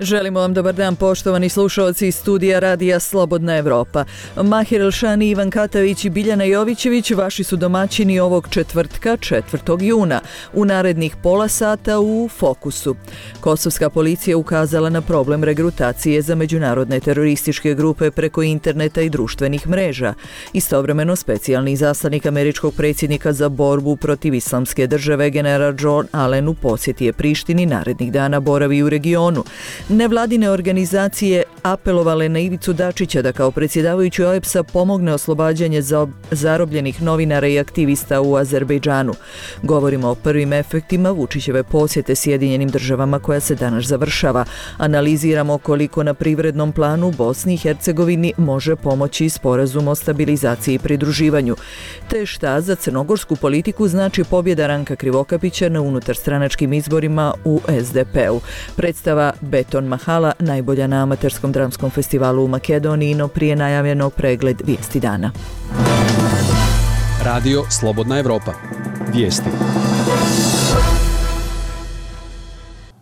Želimo vam dobar dan, poštovani slušalci iz studija Radija Slobodna Evropa. Mahir Elšani, Ivan Katavić i Biljana Jovićević vaši su domaćini ovog četvrtka, 4. juna. U narednih pola sata u Fokusu. Kosovska policija ukazala na problem regrutacije za međunarodne terorističke grupe preko interneta i društvenih mreža. Istovremeno, specijalni izaslanik američkog predsjednika za borbu protiv islamske države, general John Allen, u posjeti je Prištini, narednih dana boravi u regionu. Nevladine organizacije apelovale na Ivicu Dačića da kao predsjedavajući OEBS-a pomogne oslobađanje zarobljenih novinara i aktivista u Azerbejdžanu. Govorimo o prvim efektima Vučićeve posjete Sjedinjenim državama koja se danas završava. Analiziramo koliko na privrednom planu Bosni i Hercegovini može pomoći sporazum o stabilizaciji i pridruživanju. Te šta za crnogorsku politiku znači pobjeda Ranka Krivokapića na unutarstranačkim izborima u SDP-u. Predstava Beton Mahala najbolja na amaterskom dramskom festivalu u Makedoniji, no prije najavljeno pregled vijesti dana. Radio Slobodna Evropa. Vijesti.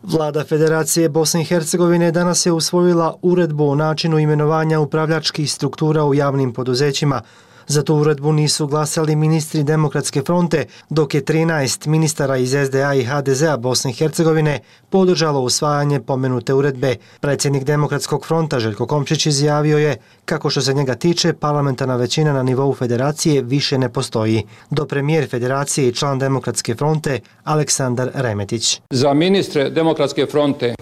Vlada Federacije Bosne i Hercegovine danas je usvojila uredbu o načinu imenovanja upravljačkih struktura u javnim poduzećima. Za tu uredbu nisu glasali ministri Demokratske fronte, dok je 13 ministara iz SDA i HDZ-a Bosne i Hercegovine podržalo usvajanje pomenute uredbe. Predsjednik Demokratskog fronta Željko Komšić izjavio je kako što se njega tiče, parlamentarna većina na nivou federacije više ne postoji. Do premijer federacije i član Demokratske fronte Aleksandar Remetić. Za ministre Demokratske fronte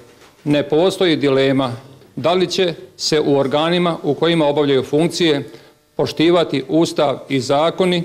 ne postoji dilema da li će se u organima u kojima obavljaju funkcije poštivati Ustav i zakoni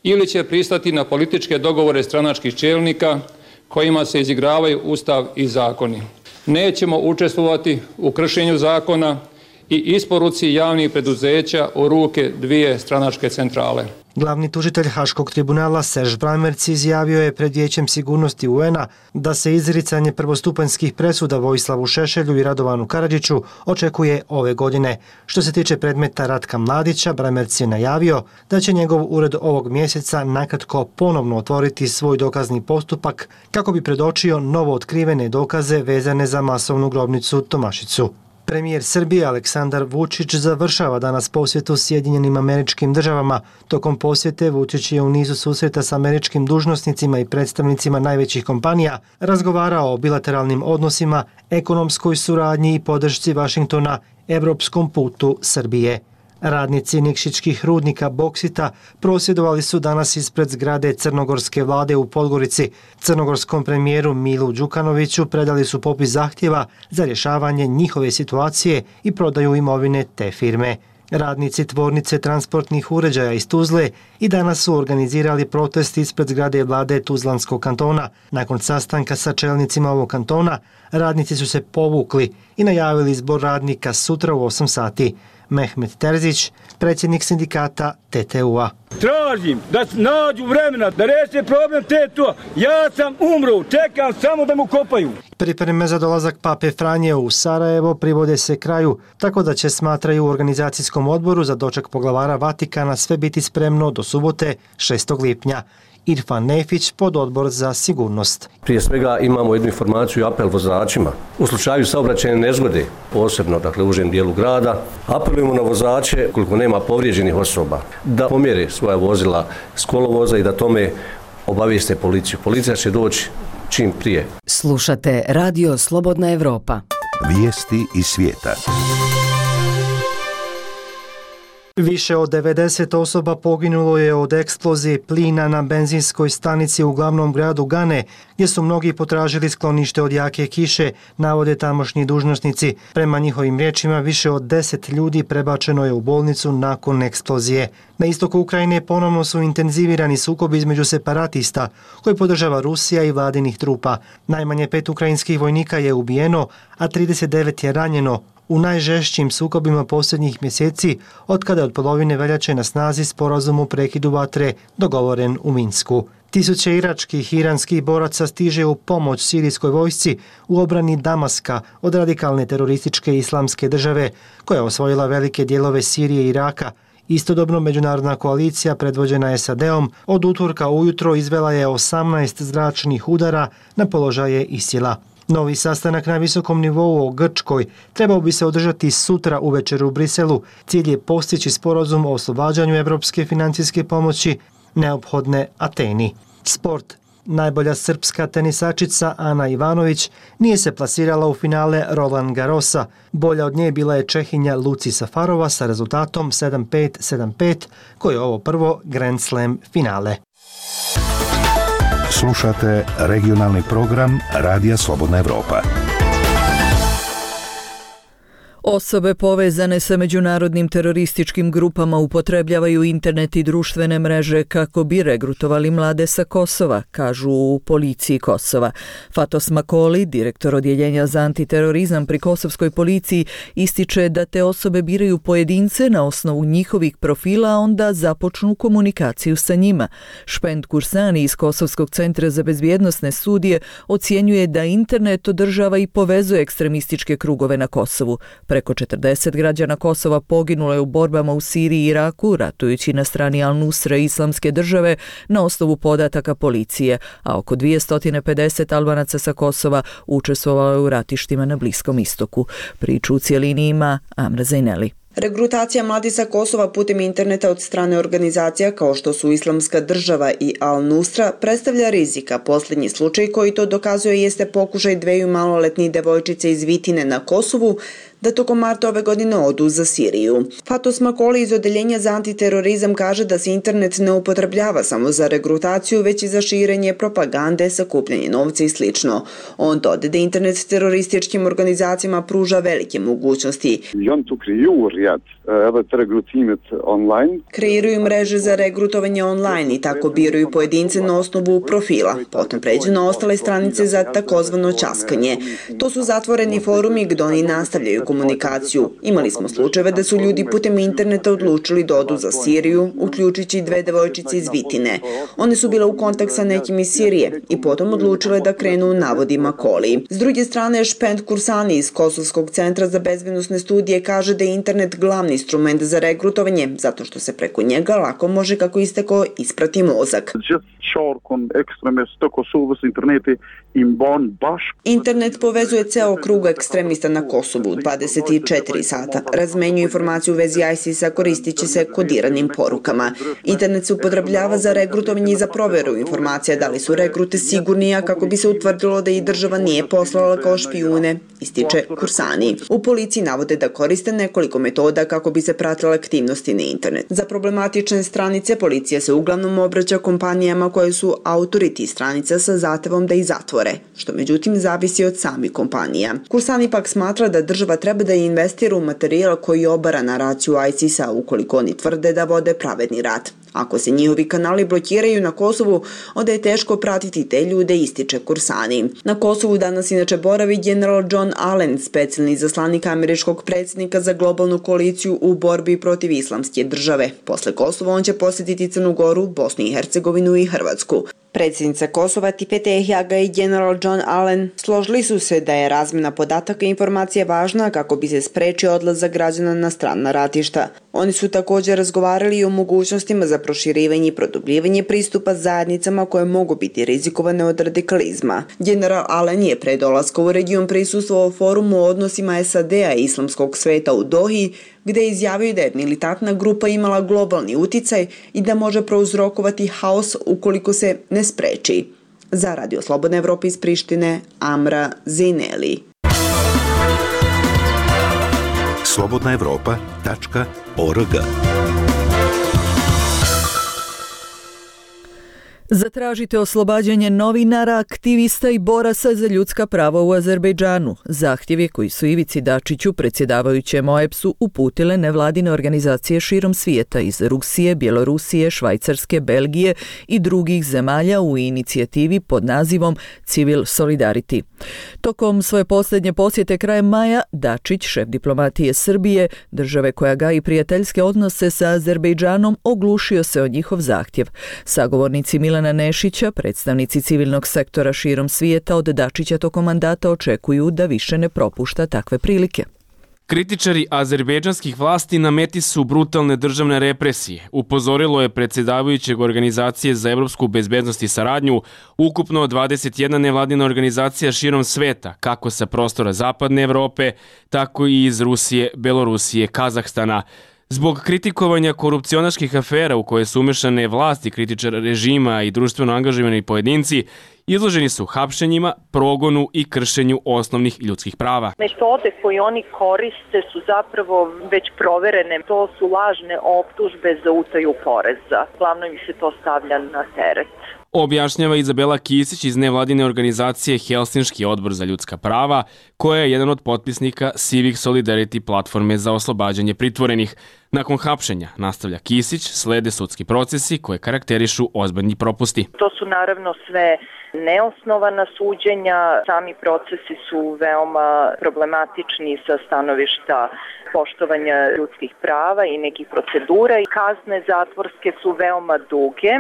ili će pristati na političke dogovore stranačkih čelnika kojima se izigravaju Ustav i zakoni. Nećemo učestvovati u kršenju zakona i isporuci javnih preduzeća u ruke dvije stranačke centrale. Glavni tužitelj Haškog tribunala Serž Bramerc izjavio je pred Vijećem sigurnosti UN-a da se izricanje prvostupanjskih presuda Vojislavu Šešelju i Radovanu Karadžiću očekuje ove godine. Što se tiče predmeta Ratka Mladića, Bramerc je najavio da će njegov ured ovog mjeseca nakratko ponovno otvoriti svoj dokazni postupak kako bi predočio novo otkrivene dokaze vezane za masovnu grobnicu Tomašicu. Premijer Srbije Aleksandar Vučić završava danas posjetu Sjedinjenim Američkim Državama. Tokom posjete Vučić je u nizu susreta s američkim dužnosnicima i predstavnicima najvećih kompanija razgovarao o bilateralnim odnosima, ekonomskoj suradnji i podršci Vašingtona evropskom putu Srbije. Radnici Nikšićkih rudnika Boksita prosvjedovali su danas ispred zgrade crnogorske vlade u Podgorici. Crnogorskom premijeru Milu Đukanoviću predali su popis zahtjeva za rješavanje njihove situacije i prodaju imovine te firme. Radnici tvornice transportnih uređaja iz Tuzle i danas su organizirali protest ispred zgrade vlade Tuzlanskog kantona. Nakon sastanka sa čelnicima ovog kantona, radnici su se povukli i najavili izbor radnika sutra u 8 sati. Mehmet Terzić, predsjednik sindikata TTU-a. Tražim da nađu vremena da reše problem TTU-a. Ja sam umro, čekam samo da mu kopaju. Pripreme za dolazak Pape Franje u Sarajevo privode se kraju, tako da će, smatraju u organizacijskom odboru za doček poglavara Vatikana, sve biti spremno do subote 6. lipnja. Irfan Nefić, pododbor za sigurnost. Prije svega imamo jednu informaciju i apel vozačima. U slučaju saobraćajne nezgode, posebno u užem dijelu grada, apelujemo na vozače, koliko nema povrijeđenih osoba, da pomjere svoja vozila s kolovoza i da tome obavijeste policiju. Policija će doći čim prije. Slušate Radio Slobodna Evropa. Vijesti iz svijeta. Više od 90 osoba poginulo je od eksplozije plina na benzinskoj stanici u glavnom gradu Gane, gdje su mnogi potražili sklonište od jake kiše, navode tamošnji dužnosnici. Prema njihovim riječima, više od 10 ljudi prebačeno je u bolnicu nakon eksplozije. Na istoku Ukrajine ponovno su intenzivirani sukobi između separatista, koje podržava Rusija i vladinih trupa. Najmanje 5 ukrajinskih vojnika je ubijeno, a 39 je ranjeno u najžešćim sukobima posljednjih mjeseci, otkada je od polovine veljače na snazi sporazum o prekidu vatre dogovoren u Minsku. Tisuće iračkih i iranskih boraca stiže u pomoć sirijskoj vojsci u obrani Damaska od radikalne terorističke islamske države, koja je osvojila velike dijelove Sirije i Iraka. Istodobno, međunarodna koalicija predvođena SAD-om od utorka ujutro izvela je 18 zračnih udara na položaje ISIL-a. Novi sastanak na visokom nivou o Grčkoj trebao bi se održati sutra uvečer u Briselu. Cilj je postići sporazum o oslobađanju evropske financijske pomoći neophodne Ateni. Sport. Najbolja srpska tenisačica Ana Ivanović nije se plasirala u finale Roland Garrosa. Bolja od nje bila je Čehinja Luci Safarova sa rezultatom 7-5-7-5, koje je ovo prvo Grand Slam finale. Slušate regionalni program Radija Slobodna Evropa. Osobe povezane sa međunarodnim terorističkim grupama upotrebljavaju internet i društvene mreže kako bi regrutovali mlade sa Kosova, kažu u policiji Kosova. Fatos Makoli, direktor odjeljenja za antiterorizam pri kosovskoj policiji, ističe da te osobe biraju pojedince na osnovu njihovih profila, a onda započnu komunikaciju sa njima. Špend Kursani iz Kosovskog centra za bezbjednosne studije ocjenjuje da internet održava i povezuje ekstremističke krugove na Kosovu. Preko 40 građana Kosova poginulo je u borbama u Siriji i Iraku, ratujući na strani Al-Nusra i Islamske države na osnovu podataka policije, a oko 250 Albanaca sa Kosova učestvovalo je u ratištima na Bliskom istoku. Priču u cijelini ima Amra Zajneli. Regrutacija mladih sa Kosova putem interneta od strane organizacija kao što su Islamska država i Al-Nusra predstavlja rizika. Posljednji slučaj koji to dokazuje jeste pokušaj dveju maloletnih devojčice iz Vitine na Kosovu da tokom marta ove godine odu za Siriju. Fatos Makoli iz Odjeljenja za antiterorizam kaže da se internet ne upotrebljava samo za regrutaciju, već i za širenje propagande, sakupljanje novca i sl. On dodade da internet terorističkim organizacijama pruža velike mogućnosti. Kreiraju mreže za regrutovanje online i tako biraju pojedince na osnovu profila. Potom pređu na ostale stranice za takozvano časkanje. To su zatvoreni forumi gdje oni nastavljaju komunikaciju. Imali smo slučajeve da su ljudi putem interneta odlučili da odu za Siriju, uključujući dve devojčice iz Vitine. One su bile u kontakt sa nekim iz Sirije i potom odlučile da krenu, navodi Makoli. S druge strane, Špend Kursani iz Kosovskog centra za bezbjednosne studije kaže da je internet glavni instrument za regrutovanje, zato što se preko njega lako može, kako isteko, isprati mozak. Internet povezuje ceo krug ekstremista na Kosovu 24 sata. Razmenjuje informaciju u vezi ISIS-a koristići se kodiranim porukama. Internet se upotrebljava za regrutovanje i za proveru informacija da li su regrute sigurni, a kako bi se utvrdilo da i država nije poslala kao špijune, ističe Kursani. U policiji navode da koriste nekoliko metoda kako bi se pratile aktivnosti na internet. Za problematične stranice policija se uglavnom obraća kompanijama koje su autori tih stranica sa zahtevom da ih zatvore, što međutim zavisi od samih kompanija. Kursani pak smatra da država treba da investira u materijal koji obara naraciju ISIS-a ukoliko oni tvrde da vode pravedni rat. Ako se njihovi kanali blokiraju na Kosovu, onda je teško pratiti te ljude, ističe Kursani. Na Kosovu danas inače boravi general John Allen, specijalni izaslanik američkog predsjednika za globalnu koaliciju u borbi protiv Islamske države. Posle Kosova on će posjetiti Crnu Goru, Bosnu i Hercegovinu i Hrvatsku. Predsjednica Kosova Tipete Ehjaga i general John Allen složili su se da je razmjena podataka i informacija važna kako bi se sprečio odlazak građana na strana ratišta. Oni su također razgovarali i o mogućnostima za proširivanje i produbljivanje pristupa zajednicama koje mogu biti rizikovane od radikalizma. General Allen je pre dolaska u region prisustvovao forumu o odnosima SAD-a i islamskog sveta u Dohi, gdje je izjavio da je militantna grupa imala globalni uticaj i da može prouzrokovati haos ukoliko se ne spreči. Za Radio Slobodna Evropa iz Prištine, Amra Zajneli. slobodnaevropa.org. Zatražite oslobađanje novinara, aktivista i boraca za ljudska prava u Azerbejdžanu. Zahtjevi koji su Ivici Dačiću, predsjedavajućem OEBS-u, uputile nevladine organizacije širom svijeta iz Rusije, Bjelorusije, Švajcarske, Belgije i drugih zemalja u inicijativi pod nazivom Civil Solidarity. Tokom svoje posljednje posjete krajem maja, Dačić, šef diplomatije Srbije, države koja gaji prijateljske odnose sa Azerbejdžanom, oglušio se o njihov zahtjev. Sagovornici Milana Nešića, predstavnici civilnog sektora širom svijeta, od Dačića tokom mandata očekuju da više ne propušta takve prilike. Kritičari azerbejdžanskih vlasti na meti su brutalne državne represije, upozorilo je predsjedavajućeg Organizacije za evropsku bezbednost i saradnju, ukupno 21 nevladina organizacija širom sveta, kako sa prostora zapadne Evrope, tako i iz Rusije, Belorusije, Kazahstana. Zbog kritikovanja korupcionaških afera u koje su umešane vlasti, kritičara režima i društveno angažovani pojedinci, izloženi su hapšenjima, progonu i kršenju osnovnih ljudskih prava. Metode koje oni koriste su zapravo već proverene. To su lažne optužbe za utaju poreza. Glavno im se to stavlja na teret. Objašnjava Izabela Kisić iz nevladine organizacije Helsinški odbor za ljudska prava, koja je jedan od potpisnika Civic Solidarity platforme za oslobađanje pritvorenih. Nakon hapšenja, nastavlja Kisić, slede sudski procesi koje karakterišu ozbiljni propusti. To su naravno sve neosnovana suđenja, sami procesi su veoma problematični sa stanovišta poštovanja ljudskih prava i nekih procedura i kazne zatvorske su veoma duge.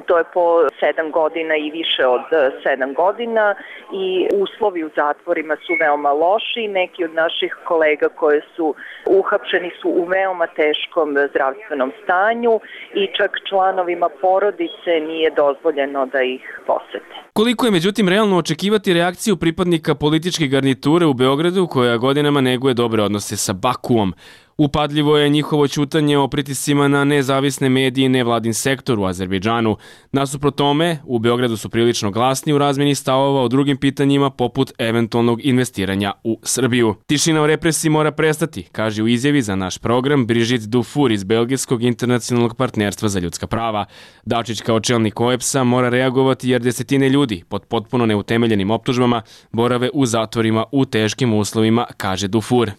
To je po 7 godina i više od 7 godina i uslovi u zatvorima su veoma loši. Neki od naših kolega koji su uhapšeni su u veoma teškom zdravstvenom stanju i čak članovima porodice nije dozvoljeno da ih posete. Koliko je međutim realno očekivati reakciju pripadnika političke garniture u Beogradu koja godinama neguje dobre odnose sa Bakuom? Upadljivo je njihovo ćutanje o pritiscima na nezavisne medije i nevladin sektor u Azerbejdžanu. Nasuprot tome, u Beogradu su prilično glasni u razmjeni stavova o drugim pitanjima poput eventualnog investiranja u Srbiju. Tišina o represiji mora prestati, kaže u izjavi za naš program Brigitte Dufour iz Belgijskog internacionalnog partnerstva za ljudska prava. Dačić kao čelnik OEBS-a mora reagovati jer desetine ljudi pod potpuno neutemeljenim optužbama borave u zatvorima u teškim uslovima, kaže Dufour.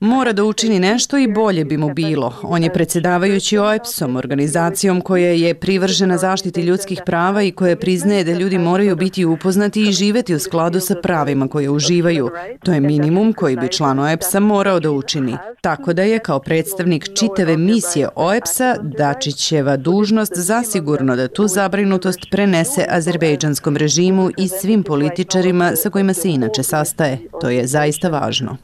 Mora da učini nešto i bolje bi mu bilo. On je predsjedavajući OEBS-om, organizacijom koja je privržena zaštiti ljudskih prava i koja priznaje da ljudi moraju biti upoznati i živeti u skladu sa pravima koje uživaju. To je minimum koji bi član OEBS-a morao da učini. Tako da je kao predstavnik čitave misije OEBS-a Dačićeva dužnost zasigurno da tu zabrinutost prenese azerbejdžanskom režimu i svim političarima sa kojima se inače sastaje. To je zaista važno.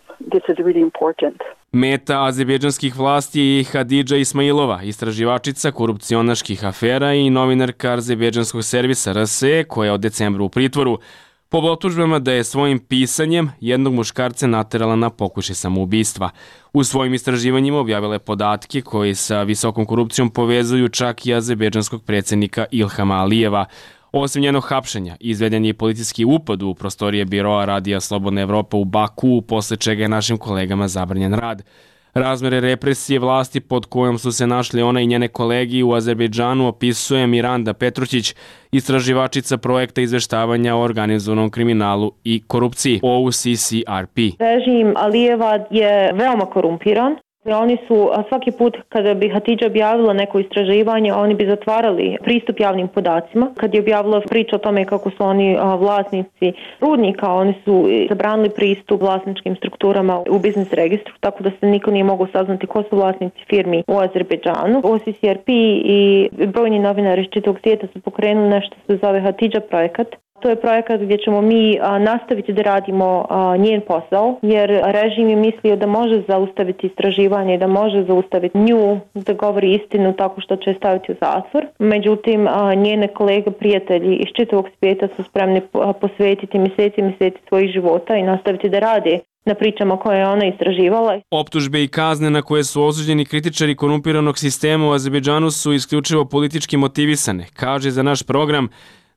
Meta azerbejdžanskih vlasti je Hadidža Ismailova, istraživačica korupcionaških afera i novinarka azerbejdžanskog servisa RSE, koja je od decembra u pritvoru, po optužbama da je svojim pisanjem jednog muškarca naterala na pokušaj samoubistva. U svojim istraživanjima objavila je podatke koji sa visokom korupcijom povezuju čak i azerbejdžanskog predsjednika Ilhama Alijeva. Osim njenog hapšenja, izveden je i policijski upad u prostorije biroa Radija Slobodna Evropa u Baku, posle čega je našim kolegama zabranjen rad. Razmere represije vlasti pod kojom su se našli ona i njene kolegi u Azerbejdžanu opisuje Miranda Petrućić, istraživačica projekta izveštavanja o organizovanom kriminalu i korupciji OUCCRP. Režim Alijeva je veoma korumpiran. Oni su svaki put kada bi Hatidža objavila neko istraživanje, oni bi zatvarali pristup javnim podacima. Kad je objavila priču o tome kako su oni vlasnici rudnika, oni su zabranili pristup vlasničkim strukturama u biznis registru, tako da se niko nije mogao saznati ko su vlasnici firmi u Azerbejdžanu. OCCRP i brojni novinari iz čitavog svijeta su pokrenuli nešto što se zove Hatidža projekat. To je projekat gdje ćemo mi nastaviti da radimo njen posao, jer režim je mislio da može zaustaviti istraživanje i da može zaustaviti nju da govori istinu tako što će staviti u zatvor. Međutim, njene kolege, prijatelji iz čitavog svijeta su spremni posvetiti mjeseci svojih života i nastaviti da rade na pričama koje je ona istraživala. Optužbe i kazne na koje su osuđeni kritičari korumpiranog sistema u Azerbejdžanu su isključivo politički motivisane, kaže za naš program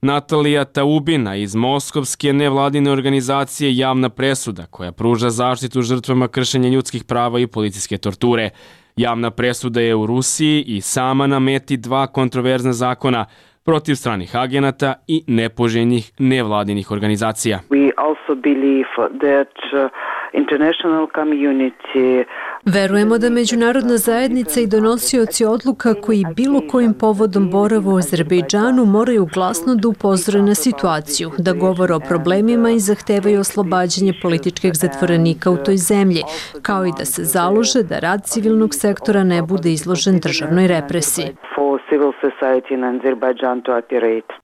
Natalija Taubina iz moskovske nevladine organizacije Javna presuda, koja pruža zaštitu žrtvama kršenja ljudskih prava i policijske torture. Javna presuda je u Rusiji i sama na meti 2 kontroverzna zakona protiv stranih agenata i nepoželjnih nevladinih organizacija. We also believe that international community. Verujemo da međunarodna zajednica i donosioci odluka koji bilo kojim povodom borave u Azerbejdžanu moraju glasno da upozore na situaciju, da govore o problemima i zahtevaju oslobađanje političkih zatvorenika u toj zemlji, kao i da se založe da rad civilnog sektora ne bude izložen državnoj represiji.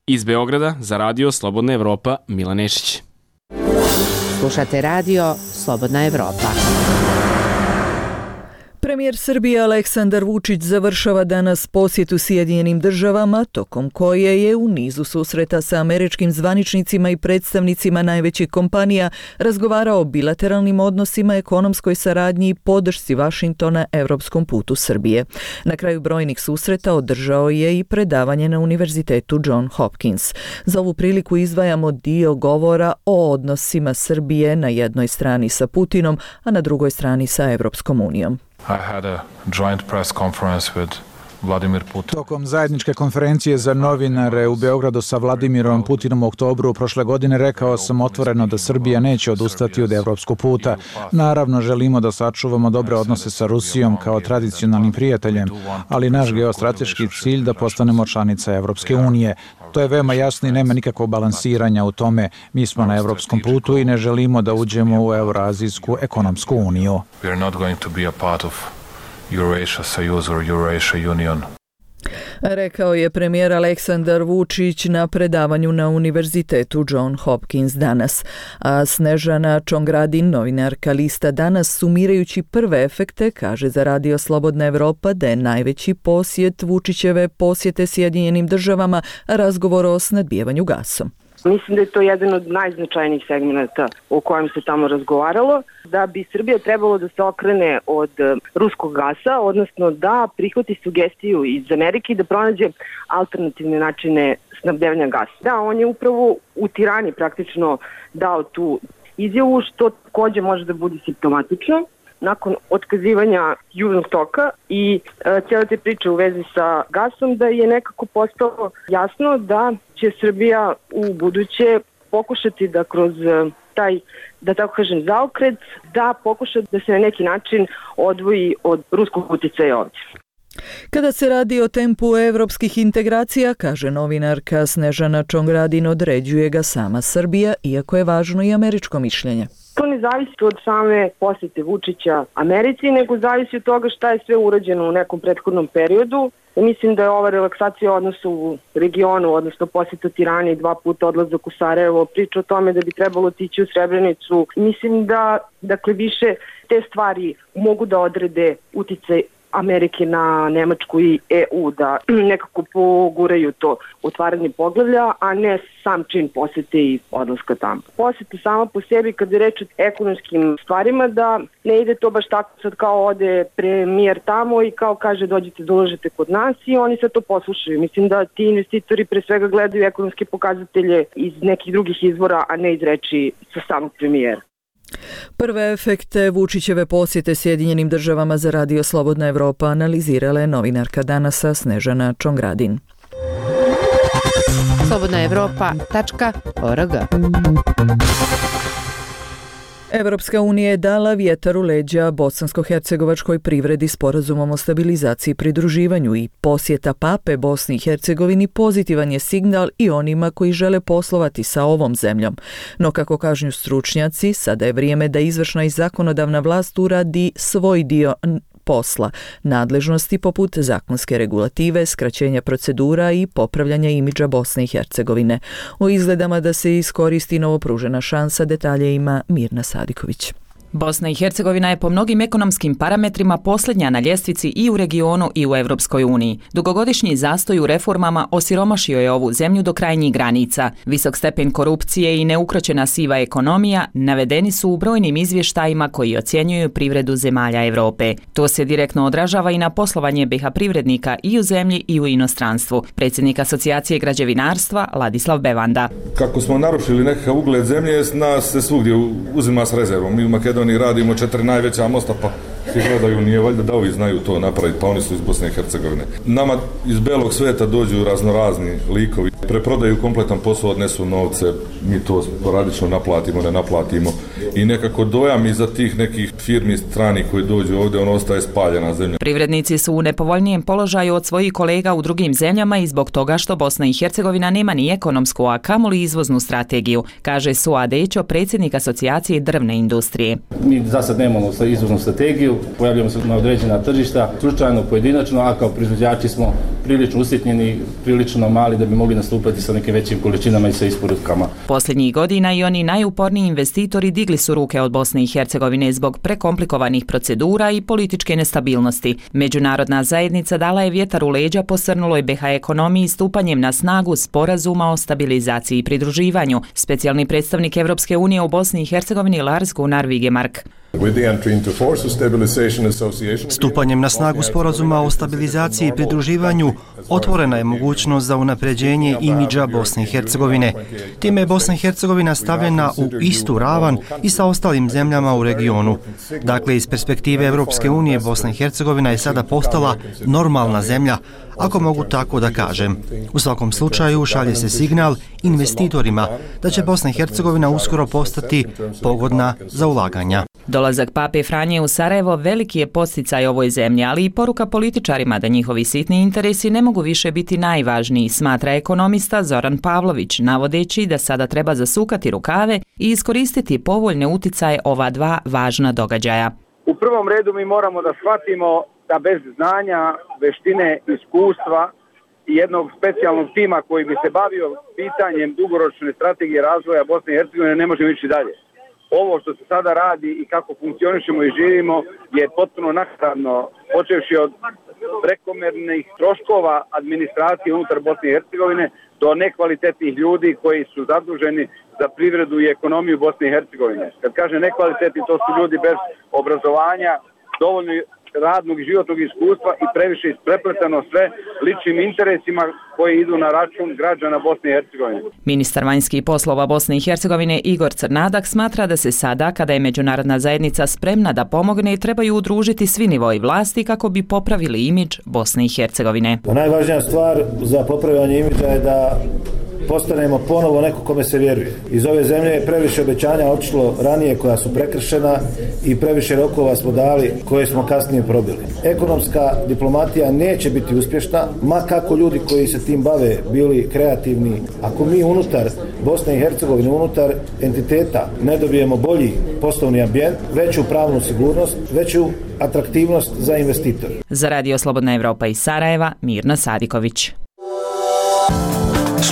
Iz Beograda za Radio Slobodna Evropa, Milan Nešić. Slušate radio Slobodna Evropa. Premijer Srbije Aleksandar Vučić završava danas posjetu Sjedinjenim državama, tokom koje je u nizu susreta sa američkim zvaničnicima i predstavnicima najvećih kompanija razgovarao o bilateralnim odnosima, ekonomskoj saradnji i podršci Vašingtona evropskom putu Srbije. Na kraju brojnih susreta održao je i predavanje na Univerzitetu John Hopkins. Za ovu priliku izdvajamo dio govora o odnosima Srbije na jednoj strani sa Putinom, a na drugoj strani sa Evropskom unijom. I had a joint press conference with Vladimir Putin. Tokom zajedničke konferencije za novinare u Beogradu sa Vladimirom Putinom u oktobru prošle godine rekao sam otvoreno da Srbija neće odustati od evropskog puta. Naravno, želimo da sačuvamo dobre odnose sa Rusijom kao tradicionalnim prijateljem, ali naš geostrateški cilj da postanemo članica Evropske unije. To je veoma jasno i nema nikakvog balansiranja u tome. Mi smo na evropskom putu i ne želimo da uđemo u Eurazijsku ekonomsku uniju. We are not going to be a part of Eurasia Soyuz or Eurasia Union. Rekao je premijer Aleksandar Vučić na predavanju na Univerzitetu John Hopkins danas. A Snežana Čongradin, novinarka lista Danas, sumirajući prve efekte, kaže za Radio Slobodna Evropa da je najveći posjet Vučićeve posjete Sjedinjenim državama razgovor o snabdevanju gasom. Mislim da je to jedan od najznačajnijih segmenata o kojem se tamo razgovaralo, da bi Srbija trebalo da se okrene od ruskog gasa, odnosno da prihvati sugestiju iz Amerike i da pronađe alternativne načine snabdevanja gasa. Da, on je upravo u Tirani praktično dao tu izjavu, što takođe može da bude simptomatično. Nakon otkazivanja Južnog toka i cijela te priče u vezi sa gasom, da je nekako postalo jasno da će Srbija u buduće pokušati da kroz taj, da tako kažem, zaokret, da pokuša da se na neki način odvoji od ruskog uticaja ovdje. Kada se radi o tempu evropskih integracija, kaže novinarka Snežana Čongradin, određuje ga sama Srbija, iako je važno i američko mišljenje. To ne zavisi od same posjete Vučića Americi, nego zavisi od toga šta je sve urađeno u nekom prethodnom periodu. Mislim da je ova relaksacija odnosa u regionu, odnosno posjeta Tirani, 2 puta odlazak u Sarajevo, priča o tome da bi trebalo otići u Srebrenicu. Mislim da više te stvari mogu da odrede uticaj Amerike na Nemačku i EU, da nekako poguraju to otvaranje poglavlja, a ne sam čin posjete i odlaska tamo. Posjeta sama po sebi, kad je reč o ekonomskim stvarima, da ne ide to baš tako sad kao ode premijer tamo i kao kaže dođite da ulažete kod nas i oni sad to poslušaju. Mislim da ti investitori pre svega gledaju ekonomske pokazatelje iz nekih drugih izvora, a ne iz reči sa samog premijera. Prve efekte Vučićeve posjete Sjedinjenim državama za Radio Slobodna Evropa analizirala je novinarka Danasa Snežana Čongradin. slobodnaevropa.org. Evropska unija je dala vjetar u leđa bosansko-hercegovačkoj privredi sporazumom o stabilizaciji i pridruživanju i posjeta Pape Bosni i Hercegovini pozitivan je signal i onima koji žele poslovati sa ovom zemljom. No kako kažu stručnjaci, sada je vrijeme da izvršna i zakonodavna vlast uradi svoj dio posla, nadležnosti poput zakonske regulative, skraćenja procedura i popravljanja imidža Bosne i Hercegovine. O izgledama da se iskoristi novopružena šansa, detalje ima Mirna Sadiković. Bosna i Hercegovina je po mnogim ekonomskim parametrima posljednja na ljestvici i u regionu i u Evropskoj uniji. Dugogodišnji zastoj u reformama osiromašio je ovu zemlju do krajnjih granica. Visok stepen korupcije i neukročena siva ekonomija navedeni su u brojnim izvještajima koji ocjenjuju privredu zemalja Evrope. To se direktno odražava i na poslovanje BiH privrednika i u zemlji i u inostranstvu. Predsjednik Asocijacije građevinarstva Ladislav Bevanda. Kako smo narušili nekakav ugled zemlje, nas se svugdje uzima s rezervom. Mi u Makedoniji radimo 4 najveća mosta, pa svi gledaju, nije valjda da ovi znaju to napraviti, pa oni su iz Bosne i Hercegovine. Nama iz belog sveta dođu raznorazni likovi, preprodaju kompletan posao, odnesu novce, mi to sporadično naplatimo, ne naplatimo i nekako dojam iza tih nekih firmi strani koji dođu ovdje, on ostaje spaljena zemlja. Privrednici su u nepovoljnijem položaju od svojih kolega u drugim zemljama i zbog toga što Bosna i Hercegovina nema ni ekonomsku, a kamoli izvoznu strategiju, kaže Suad Dećo, predsjednik Asocijacije drvne industrije. Mi za sad nemamo izvoznu strategiju, pojavljamo se na određena tržišta, slučajno, pojedinačno, a kao proizvođači smo prilično usitnjeni, prilično mali da bi mogli nastupati sa nekim većim količinama i sa isporukama. Posljednjih godina i oni najuporniji investitori digli su ruke od Bosne i Hercegovine zbog prekomplikovanih procedura i političke nestabilnosti. Međunarodna zajednica dala je vjetar u leđa posrnuloj BiH ekonomiji stupanjem na snagu sporazuma o stabilizaciji i pridruživanju. Specijalni predstavnik Evropske unije u Bosni i Hercegovini Lars Gunnar Vigemark. Stupanjem na snagu sporazuma o stabilizaciji i pridruživanju otvorena je mogućnost za unapređenje imidža Bosne i Hercegovine. Time je Bosna i Hercegovina stavljena u istu ravan i sa ostalim zemljama u regionu. Dakle, iz perspektive Evropske unije Bosna i Hercegovina je sada postala normalna zemlja, ako mogu tako da kažem. U svakom slučaju šalje se signal investitorima da će Bosna i Hercegovina uskoro postati pogodna za ulaganja. Dolazak Pape Franje u Sarajevo veliki je podsticaj ovoj zemlji, ali i poruka političarima da njihovi sitni interesi ne mogu više biti najvažniji, smatra ekonomista Zoran Pavlović, navodeći da sada treba zasukati rukave i iskoristiti povoljne uticaje ova dva važna događaja. U prvom redu mi moramo da shvatimo da bez znanja, veštine, iskustva i jednog specijalnog tima koji bi se bavio pitanjem dugoročne strategije razvoja Bosne i Hercegovine ne možemo ići dalje. Ovo što se sada radi i kako funkcionišemo i živimo je potpuno naknadno, počevši od prekomernih troškova administracije unutar Bosne i Hercegovine do nekvalitetnih ljudi koji su zaduženi za privredu i ekonomiju Bosne i Hercegovine. Kad kaže nekvalitetni, to su ljudi bez obrazovanja, dovoljno radnog i životnog iskustva i previše isprepletano sve ličnim interesima koji idu na račun građana Bosne i Hercegovine. Ministar vanjskih poslova Bosne i Hercegovine Igor Crnadak smatra da se sada, kada je međunarodna zajednica spremna da pomogne, trebaju udružiti svi nivoi vlasti kako bi popravili imidž Bosne i Hercegovine. Najvažnija stvar za popravljanje imidža je da postanemo ponovo neko kome se vjeruje. Iz ove zemlje je previše obećanja otišlo ranije koja su prekršena i previše rokova smo dali koje smo kasnije probili. Ekonomska diplomatija neće biti uspješna, ma kako ljudi koji se tim bave bili kreativni. Ako mi unutar Bosne i Hercegovine, unutar entiteta ne dobijemo bolji poslovni ambijent, veću pravnu sigurnost, veću atraktivnost za investitore. Za Radio Slobodna Evropa iz Sarajeva, Mirna Sadiković.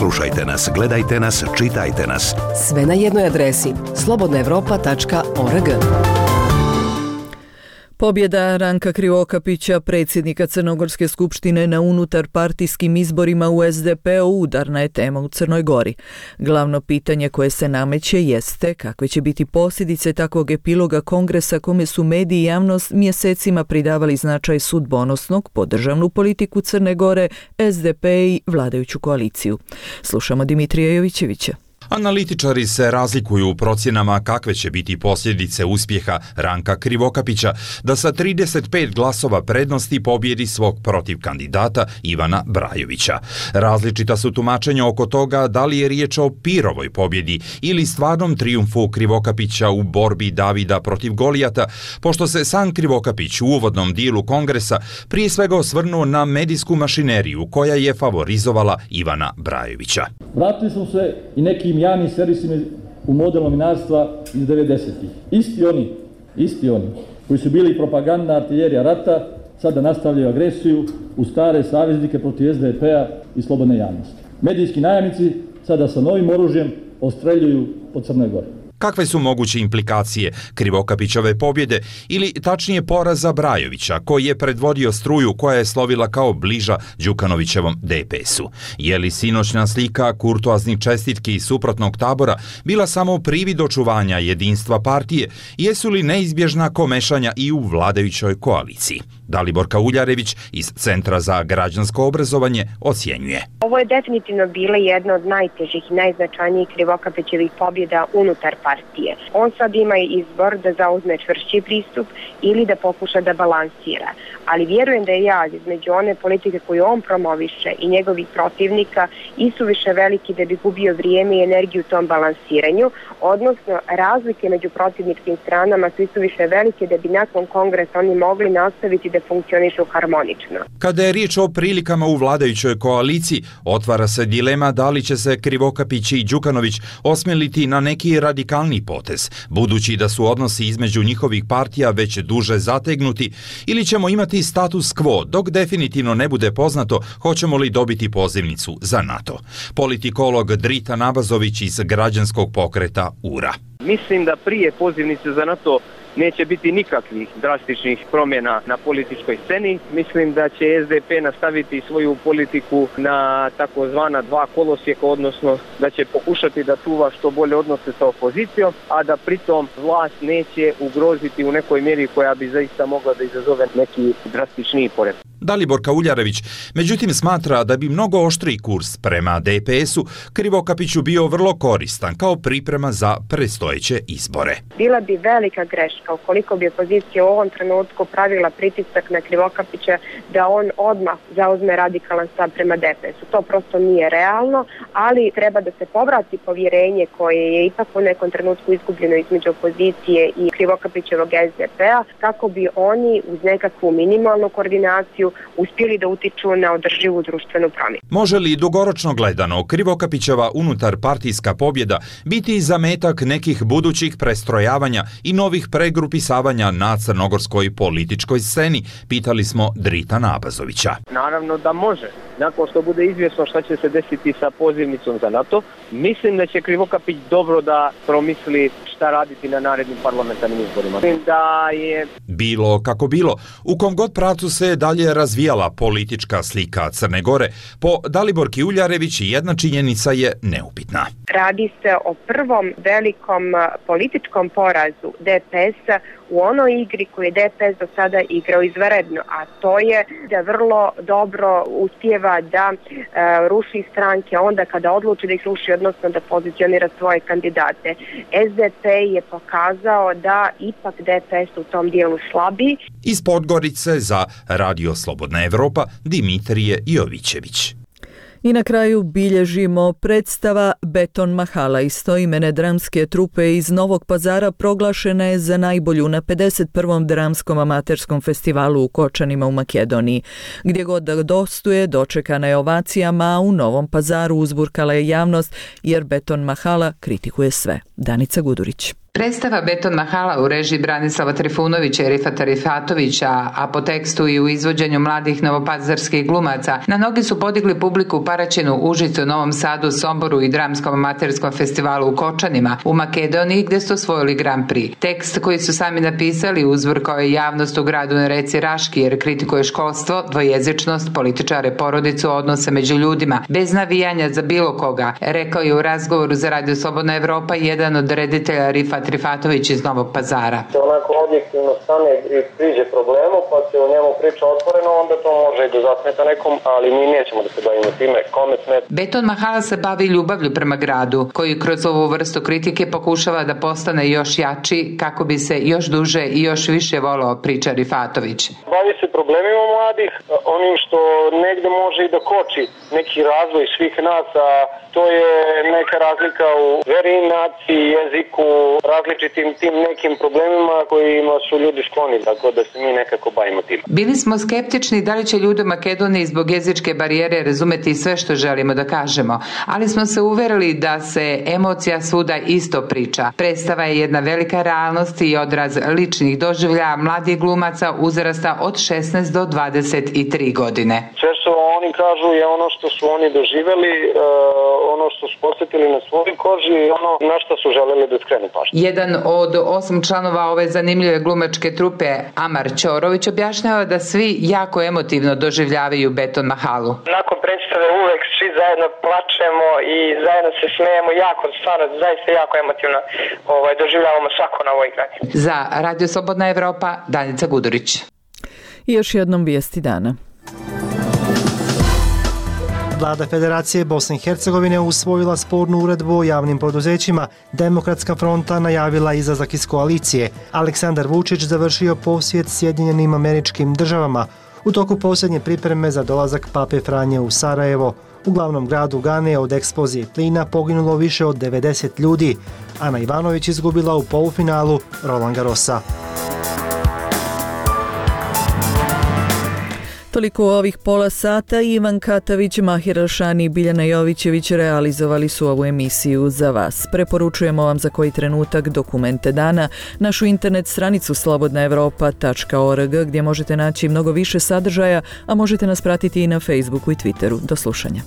Slušajte nas, gledajte nas, čitajte nas. Sve na jednoj adresi slobodnaevropa.org. Pobjeda Ranka Krivokapića, predsjednika Crnogorske skupštine na unutarpartijskim izborima u SDP-u, udarna je tema u Crnoj Gori. Glavno pitanje koje se nameće jeste kakve će biti posljedice takvog epiloga kongresa kome su mediji i javnost mjesecima pridavali značaj sudbonosnog po državnu politiku Crne Gore, SDP i vladajuću koaliciju. Slušamo Dimitrija Jovićevića. Analitičari se razlikuju u procjenama kakve će biti posljedice uspjeha Ranka Krivokapića da sa 35 glasova prednosti pobjedi svog protiv kandidata Ivana Brajovića. Različita su tumačenja oko toga da li je riječ o Pirovoj pobjedi ili stvarnom trijumfu Krivokapića u borbi Davida protiv Golijata, pošto se sam Krivokapić u uvodnom dijelu kongresa prije svega osvrnuo na medijsku mašineriju koja je favorizovala Ivana Brajovića. Vratili smo se i nekim javnim servisima u model novinarstva iz 90-ih. Isti oni koji su bili propagandna artiljerija rata, sada nastavljaju agresiju u stare saveznike protiv SDP-a i slobodne javnosti. Medijski najamnici sada sa novim oružjem ostreljuju po Crnoj Gori. Kakve su moguće implikacije Krivokapićove pobjede ili tačnije poraza Brajovića, koji je predvodio struju koja je slovila kao bliža Đukanovićevom DPS-u? Je li sinoćna slika kurtoaznih čestitki iz suprotnog tabora bila samo privid očuvanja jedinstva partije? Jesu li neizbježna komešanja i u vladajućoj koaliciji? Dalibor Kauljarević iz Centra za građansko obrazovanje ocjenjuje. Ovo je definitivno bila jedna od najtežih i najznačajnijih Krivokapićevih pobjeda unutar partije. On sad ima izbor da zauzme čvršći pristup ili da pokuša da balansira. Ali vjerujem da je jaz između one politike koju on promoviše i njegovih protivnika isuviše veliki da bi gubio vrijeme i energiju u tom balansiranju, odnosno razlike među protivničkim stranama su isuviše velike da bi nakon kongresa oni mogli nastaviti da funkcionišu harmonično. Kada je riječ o prilikama u vladajućoj koaliciji, otvara se dilema da li će se Krivokapić i Đukanović osmeliti na neki radikalni potez, budući da su odnosi između njihovih partija već duže zategnuti, ili ćemo imati status quo dok definitivno ne bude poznato hoćemo li dobiti pozivnicu za NATO. Politikolog Drita Nabazović iz građanskog pokreta URA. Mislim da prije pozivnice za NATO neće biti nikakvih drastičnih promjena na političkoj sceni. Mislim da će SDP nastaviti svoju politiku na takozvana dva kolosijeka, odnosno da će pokušati da čuva što bolje odnose sa opozicijom, a da pritom vlast neće ugroziti u nekoj mjeri koja bi zaista mogla da izazove neki drastičniji poredak. Dalibor Kauljarević, međutim, smatra da bi mnogo oštriji kurs prema DPS-u Krivokapiću bio vrlo koristan kao priprema za predstojeće izbore. Bila bi velika greška ukoliko bi opozicija u ovom trenutku pravila pritisak na Krivokapića da on odmah zauzme radikalan stav prema DPS-u. To prosto nije realno, ali treba da se povrati povjerenje koje je ipak u nekom trenutku izgubljeno između opozicije i Krivokapićevog SDP-a, kako bi oni uz nekakvu minimalnu koordinaciju uspjeli da utiču na održivu društvenu promjenu. Može li dugoročno gledano Krivokapićeva unutar partijska pobjeda biti zametak nekih budućih prestrojavanja i novih pregrupisavanja na crnogorskoj političkoj sceni, pitali smo Drita Nabazovića. Naravno da može. Nakon što bude izvjesno šta će se desiti sa pozivnicom za NATO, mislim da će Krivokapić dobro da promisli šta raditi na narednim parlamentarnim izborima. Mislim da je... Bilo kako bilo, u kom god pravcu se dalje razvijala politička slika Crne Gore, po Daliborki Uljarević jedna činjenica je neupitna. Radi se o prvom velikom političkom porazu DPS-a u onoj igri koju je DPS do sada igrao izvanredno, a to je da vrlo dobro uspijeva da ruši stranke onda kada odluči da ih ruši, odnosno da pozicionira svoje kandidate. SDP je pokazao da ipak DPS u tom dijelu slabi. Iz Podgorice za Radio Slobodna Evropa Dimitrije Jovićević. I na kraju bilježimo predstava Beton Mahala istoimene dramske trupe iz Novog Pazara proglašena je za najbolju na 51. dramskom amaterskom festivalu u Kočanima u Makedoniji. Gdje god da dostuje, dočekana je ovacijama, a u Novom Pazaru uzburkala je javnost jer Beton Mahala kritikuje sve. Danica Gudurić. Predstava Beton Mahala u režiji Branislava Trifunovića i Rifata Rifatovića, a po tekstu i u izvođenju mladih novopazarskih glumaca, na nogi su podigli publiku u Paraćinu, Užicu, Novom Sadu, Somboru i Dramskom amaterskom festivalu u Kočanima, u Makedoniji, gdje su osvojili Grand Prix. Tekst koji su sami napisali uzburkao je javnost u gradu na reci Raški, jer kritikuje školstvo, dvojezičnost, političare, porodicu, odnose među ljudima, bez navijanja za bilo koga, rekao je u razgovoru za Radio Slobodna Evropa jedan od reditelja Rifat Rifatović iz Novog Pazara. Onako objektivno stane i priđe problemu, pa se o njemu priča otvoreno, onda to može i da zasmeta nekom, ali mi nećemo da se bavimo time, kome smeta. Beton Mahala se bavi ljubavlju prema gradu, koji kroz ovu vrstu kritike pokušava da postane još jači, kako bi se još duže i još više volao, priča Rifatović. Bavi se problemima mladih, onim što negde može i da koči neki razvoj svih nas, a to je neka razlika u veri, naciji, jeziku, različitim tim nekim problemima kojima su ljudi skloni, tako da se mi nekako bavimo tim. Bili smo skeptični da li će ljudi u Makedoniji zbog jezičke barijere razumeti sve što želimo da kažemo, ali smo se uverili da se emocija svuda isto priča. Predstava je jedna velika realnost i odraz ličnih doživljaja mladih glumaca uzrasta od 16 do 23 godine. Sve što oni kažu je ono što su oni doživjeli, ono što su posjetili na svojoj koži i ono na što su želeli da skrenu pažnju. Jedan od 8 članova ove zanimljive glumačke trupe, Amar Ćorović, objašnjava da svi jako emotivno doživljavaju Beton Mahalu. Nakon predstave uvek svi zajedno plačemo i zajedno se smejemo, jako, stvarno, zaista jako emotivno doživljavamo svako na ovoj igranje. Za Radio Slobodna Evropa, Danica Gudurić. I još jednom vijesti dana. Vlada Federacije Bosne i Hercegovine usvojila spornu uredbu o javnim poduzećima. Demokratska fronta najavila izlazak iz koalicije. Aleksandar Vučić završio posjet Sjedinjenim Američkim Državama. U toku posljednje pripreme za dolazak Pape Franje u Sarajevo. U glavnom gradu Gane od eksplozije plina poginulo više od 90 ljudi. Ana Ivanović izgubila u polufinalu Roland Garrosa. Toliko u ovih pola sata. Ivan Katavić, Mahir Elšani i Biljana Jovićević realizovali su ovu emisiju za vas. Preporučujemo vam za koji trenutak dokumente dana, našu internet stranicu slobodnaevropa.org gdje možete naći mnogo više sadržaja, a možete nas pratiti i na Facebooku i Twitteru. Do slušanja.